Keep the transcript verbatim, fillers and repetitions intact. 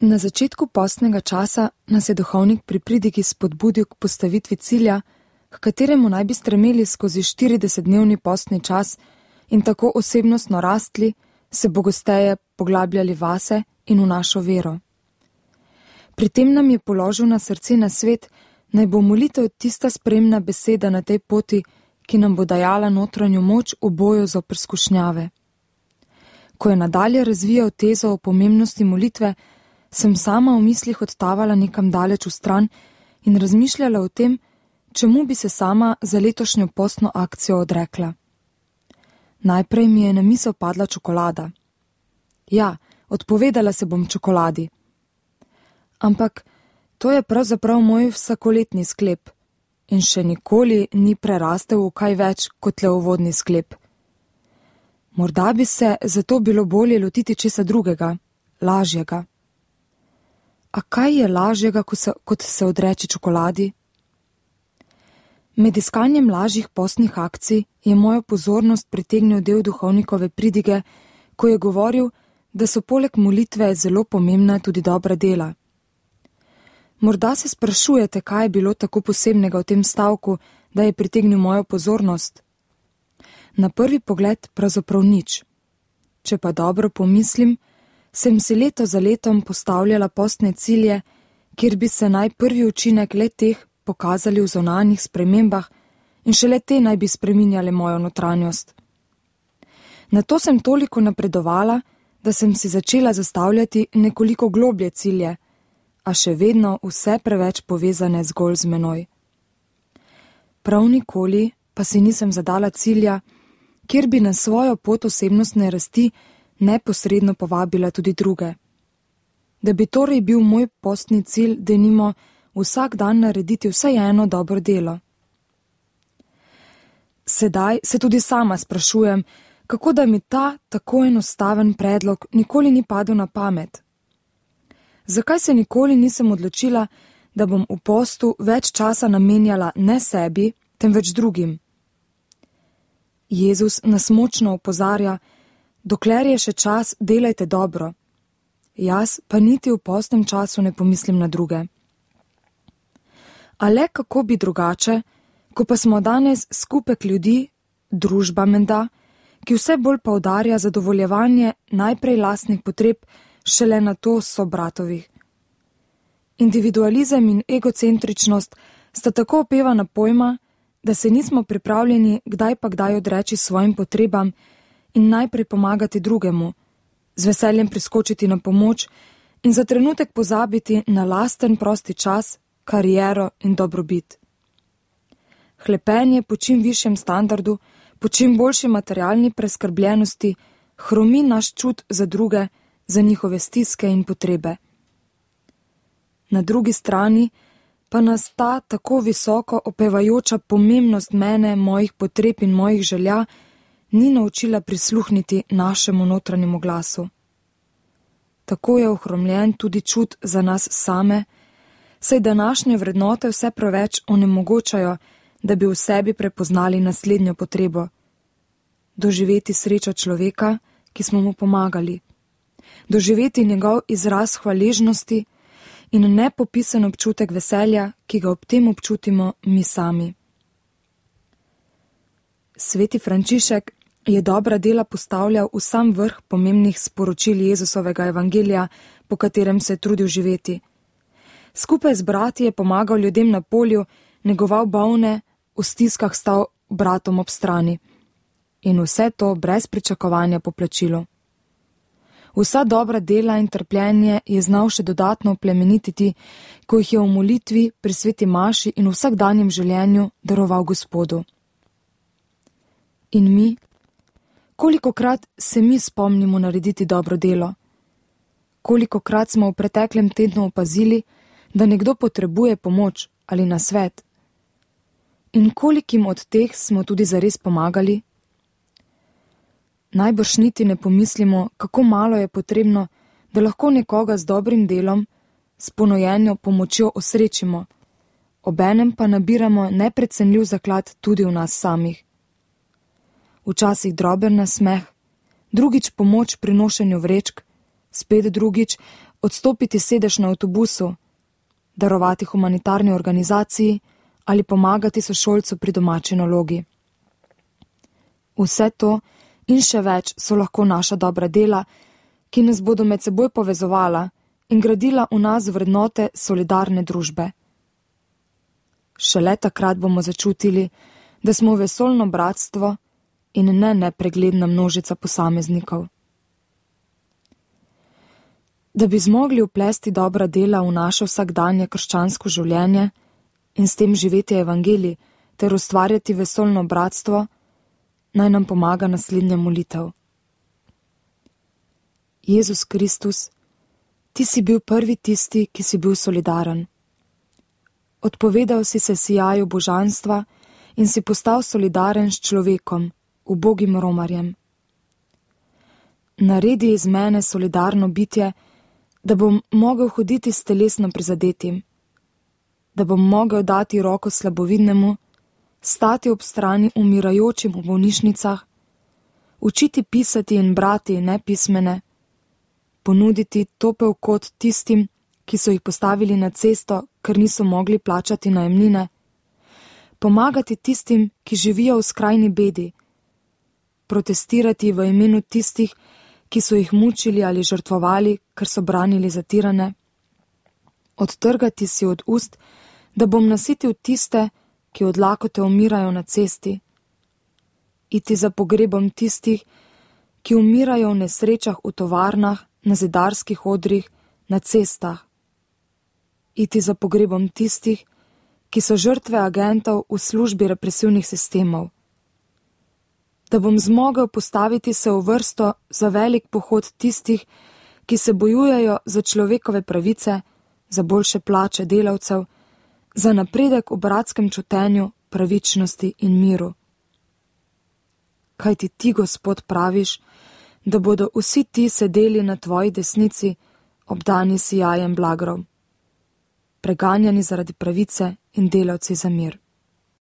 Na začetku postnega časa nas je duhovnik pri pridigi spodbudil k postavitvi cilja, k kateremu naj bi stremeli skozi štiridesetdnevni postni čas in tako osebnostno rastli, se bogosteje poglabljali vase in v našo vero. Pri tem nam je položil na srce na svet, naj bo molitev tista spremna beseda na tej poti, ki nam bo dajala notranjo moč v boju zoper skušnjave. Ko je nadalje razvijal tezo o pomembnosti molitve, sem sama v mislih odtavala nekam daleč v stran in razmišljala o tem, čemu bi se sama za letošnjo postno akcijo odrekla. Najprej mi je na misel padla čokolada. Ja, odpovedala se bom čokoladi. Ampak to je pravzaprav moj vsakoletni sklep in še nikoli ni prerastel v kaj več kot le uvodni sklep. Morda bi se zato bilo bolje lotiti česa drugega, lažjega. A kaj je lažjega, kot se, kot se odreči čokoladi? Med iskanjem lažjih postnih akcij je mojo pozornost pritegnil del duhovnikove pridige, ko je govoril, da so poleg molitve zelo pomembna tudi dobra dela. Morda se sprašujete, kaj je bilo tako posebnega v tem stavku, da je pritegnil mojo pozornost? Na prvi pogled pravzaprav nič. Če pa dobro pomislim, sem si leto za letom postavljala postne cilje, kjer bi se naj prvi učinek le teh pokazali v zunanjih spremembah in šele te naj bi spreminjale mojo notranjost. Nato sem toliko napredovala, da sem si začela zastavljati nekoliko globlje cilje, a še vedno vse preveč povezane zgolj z menoj. Prav nikoli pa si nisem zadala cilja, kjer bi na svojo pot osebnostne rasti neposredno povabila tudi druge. Da bi torej bil moj postni cilj, denimo, vsak dan narediti vsaj eno dobro delo. Sedaj se tudi sama sprašujem, kako da mi ta tako enostaven predlog nikoli ni padel na pamet. Zakaj se nikoli nisem odločila, da bom v postu več časa namenjala ne sebi, temveč drugim? Jezus nas močno opozarja, dokler je še čas, delajte dobro. Jaz pa niti v postnem času ne pomislim na druge. A le kako bi drugače, ko pa smo danes skupek ljudi, družba menda, ki vse bolj poudarja zadovoljevanje najprej lastnih potreb, šele na to so bratovih. Individualizem in egocentričnost sta tako opevana pojma, da se nismo pripravljeni kdaj pa kdaj odreči svojim potrebam in najprej pomagati drugemu, z veseljem priskočiti na pomoč in za trenutek pozabiti na lasten prosti čas, kariero in dobrobit. Hlepenje po čim višjem standardu, po čim boljši materialni preskrbljenosti hromi naš čut za druge, za njihove stiske in potrebe. Na drugi strani pa nas ta tako visoko opevajoča pomembnost mene, mojih potreb in mojih želja ni naučila prisluhniti našemu notranjemu glasu. Tako je ohromljen tudi čut za nas same, saj današnje vrednote vse preveč onemogočajo, da bi v sebi prepoznali naslednjo potrebo. Doživeti srečo človeka, ki smo mu pomagali. Doživeti njegov izraz hvaležnosti in nepopisen občutek veselja, ki ga ob tem občutimo mi sami. Sveti Frančišek je dobra dela postavljal v sam vrh pomembnih sporočil Jezusovega evangelija, po katerem se je trudil živeti. Skupaj z brati je pomagal ljudem na polju, negoval bolne, v stiskah stal bratom ob strani. In vse to brez pričakovanja po plačilu. Vsa dobra dela in trpljenje je znal še dodatno oplemenititi, ko jih je v molitvi, pri sveti maši in v vsakdanjem življenju daroval Gospodu. In mi? Kolikokrat se mi spomnimo narediti dobro delo? Kolikokrat smo v preteklem tednu opazili, da nekdo potrebuje pomoč ali nasvet? In kolikim od teh smo tudi zares pomagali? Najbrž niti ne pomislimo, kako malo je potrebno, da lahko nekoga z dobrim delom, s ponojenjo pomočjo osrečimo, obenem pa nabiramo neprecenljiv zaklad tudi v nas samih. Včasih droben nasmeh, drugič pomoč pri nošenju vrečk, spet drugič odstopiti sedež na avtobusu, darovati humanitarni organizaciji ali pomagati sošolcu pri domači nalogi. Vse to in še več so lahko naša dobra dela, ki nas bodo med seboj povezovala in gradila v nas vrednote solidarne družbe. Šele takrat bomo začutili, da smo vesoljno bratstvo in ne nepregledna množica posameznikov. Da bi zmogli vplesti dobra dela v naše vsakdanje krščansko življenje in s tem živeti evangelij ter ustvarjati vesoljno bratstvo, naj nam pomaga naslednja molitev. Jezus Kristus, ti si bil prvi tisti, ki si bil solidaren. Odpovedal si se sijaju božanstva in si postal solidaren s človekom, ubogim romarjem. Naredi iz mene solidarno bitje, da bom mogel hoditi s telesno prizadetim, da bom mogel dati roko slabovidnemu, stati ob strani umirajočim v bolnišnicah, učiti pisati in brati nepismene, ponuditi topel kot tistim, ki so jih postavili na cesto, ker niso mogli plačati najemnine, pomagati tistim, ki živijo v skrajni bedi, protestirati v imenu tistih, ki so jih mučili ali žrtvovali, ker so branili zatirane, odtrgati si od ust, da bom nasitil tiste, ki od lakote umirajo na cesti, iti za pogrebom tistih, ki umirajo v nesrečah v tovarnah, na zidarskih odrih, na cestah, iti za pogrebom tistih, ki so žrtve agentov v službi represivnih sistemov, da bom zmogel postaviti se v vrsto za velik pohod tistih, ki se bojujejo za človekove pravice, za boljše plače delavcev, za napredek v bratskem čutenju, pravičnosti in miru. Kaj ti ti, Gospod, praviš, da bodo vsi ti sedeli na tvoji desnici, obdani sijajem blagrov, preganjani zaradi pravice in delavci za mir.